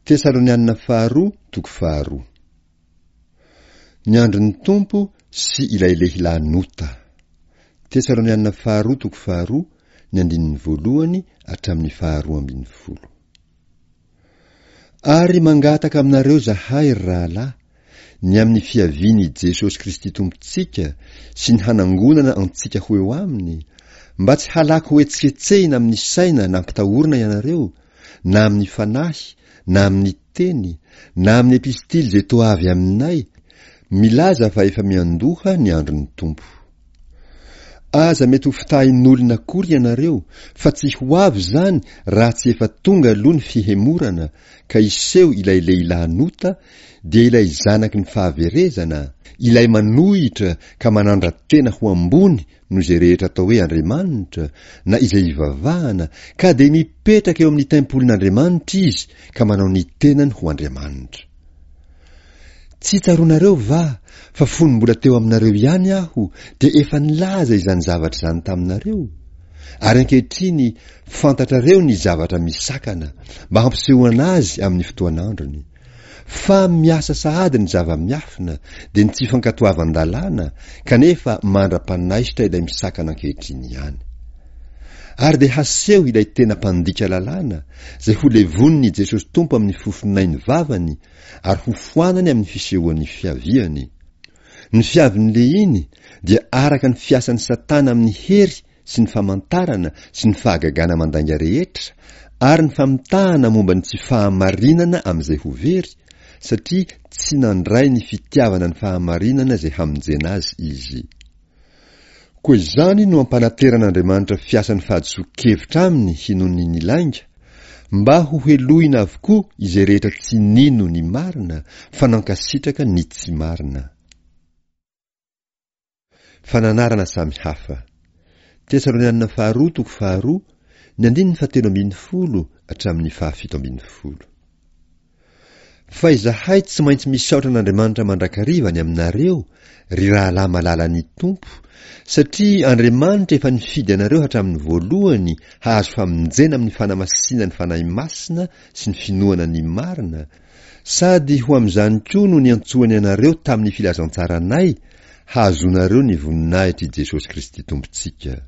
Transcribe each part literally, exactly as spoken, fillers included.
Tesalonianina faharoa toko faharoa. Ny andron'ny Tompo sy ilay lehilahy nota. Tesalonianina faharoa toko faharoa, ny andininy voalohany hatramin'ny faharoa ambin'ny folo. Ary mangataka aminareo zahay, ry rahalahy, ny amin'ny fiavian'i Jesosy Kristy Tompontsika sy ny hanangonana antsika ho eo aminy, mba tsy halaky hohetsiketsehina amin'ny saina nampitahorina ianareo, na amin'ny fanahy, na amin'ny teny, na amin'ny epistily izay toa avy aminay, milaza fa efa miandoha ny andron'ny Tompo. Aza mety ho fitahin'olona akory ianareo, fa tsy ho avy izany raha tsy efa tonga aloha ny fihemorana, ka hiseho ilay lehilahy nota, dia ilay zanaky ny fahaverezana, ilay manohitra ka manandra-tena ho ambony noho izay rehetra atao hoe Andriamanitra, na izay ivavahana, ka dia mipetraka eo amin'ny tempolin'Andriamanitra izy ka manao ny tenany ho Andriamanitra. Tsy tsaroanareo va fa fony mbola teo aminareo ihany aho dia efa nilaza izany zavatra izany taminareo? Ary ankehitriny fantatrareo ny zavatra misakana mba hampisehoana azy amin'ny fotoan'androny. Fa miasa sahady ny zava-miafina, dia ny tsy fankatoavan-dalàna, kanefa mandra-panaisotra ilay misakana ankehitriny ihany. Ary dia haseho ilay tena mpandika lalàna, izay ho levonin'i Jesosy Tompo amin'ny fofonain'ny vavany ary hofoanany amin'ny fisehoan'ny fiaviany. Ny fiavin'ny lehiny dia araka ny fiasan'i Satana amin'ny hery sy ny famantarana sy ny fahagagana mandainga rehetra ary ny famitahana momba ny tsy fahamarinana amin'izay ho very, satria tsy nandray ny fitiavana ny fahamarinana izay hamonjena azy izy. Koa izany no ampanateran'Andriamanitra fiasan'ny fahadisoan-kevitra aminy hinoany ny lainga, mba ho helohina avokoa izay rehetra tsy nino ny marina fa nankasitraka ny tsy marina. Fananarana samy hafa. Tesalonianina faharoa toko faharoa, ny andininy fahatelo ambin'ny folo hatramin'ny fahafito ambin'ny folo. Fa izahay tsy maintsy misaotra an'Andriamanitra mandrakariva ny aminareo, ry rahalahy malalan'ny Tompo, satria Andriamanitra efa nifidy anareo hatramin'ny voalohany hahazo famonjena amin'ny fanamasinan'ny Fanahy Masina sy ny finoana ny marina, sady ho amin'izany koa no niantsoany anareo tamin'ny filazantsaranay, hahazoanareo ny voninahitr'i Jesosy Kristy Tompontsika.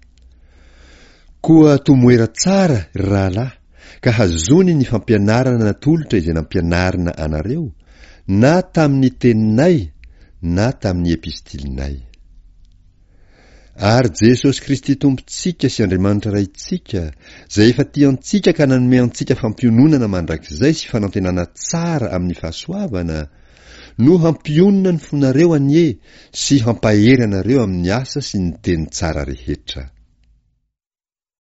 Koa tomoera tsara, ry rahalahy, ka hazony ny fampianarana natolotra izay nampianarina anareo, na tamin'ny teninay na tamin'ny epistilinay. Ary Jesosy Kristy Tompontsika sy Andriamanitra Raintsika, izay efa tia antsika ka nanome antsika fampiononana mandrakizay sy fanantenana tsara amin'ny fahasoavana, no hampionona ny fonareo anie sy hampahery anareo amin'ny asa sy ny teny tsara rehetra.